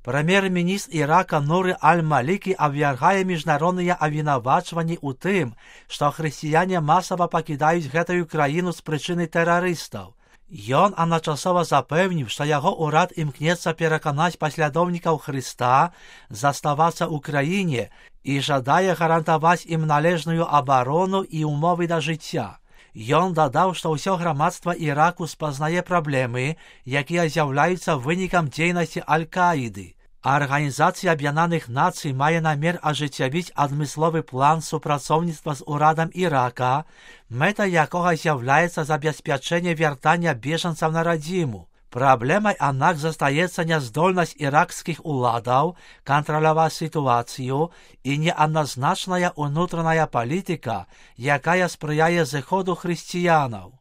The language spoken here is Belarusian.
Прэм'єр-міністр Ірака Нуры Аль-Малікі абвяргае міжнародныя абвінавачванні ў тым, што хрысціяне масава пакідаюць гэтую краіну з прычыны тэрарыстаў. Ён адначасова запэўніў, што яго ўрад імкнецца пераканаць паслядоўнікаў Хрыста заставацца ў краіне і жадае гарантаваць ім належную абарону і ўмовы да жыцця. Ён дадаў, што ўсё грамадства Іраку спазнае праблемы, якія з'яўляюцца вынікам дзейнасці Аль-Каіды. Арганізацыя Аб'яднаных Нацый мае намер ажыццявіць адмысловы план супрацоўніцтва з урадам Ірака, мэта якога з'яўляецца забеспячэнне вяртання бежанцаў на радзіму. Праблемай, аднак, застаецца няздольнасць іракскіх уладаў кантраляваць сітуацыю і неадназначная ўнутраная палітыка, якая спрыяе зыходу хрысціянаў.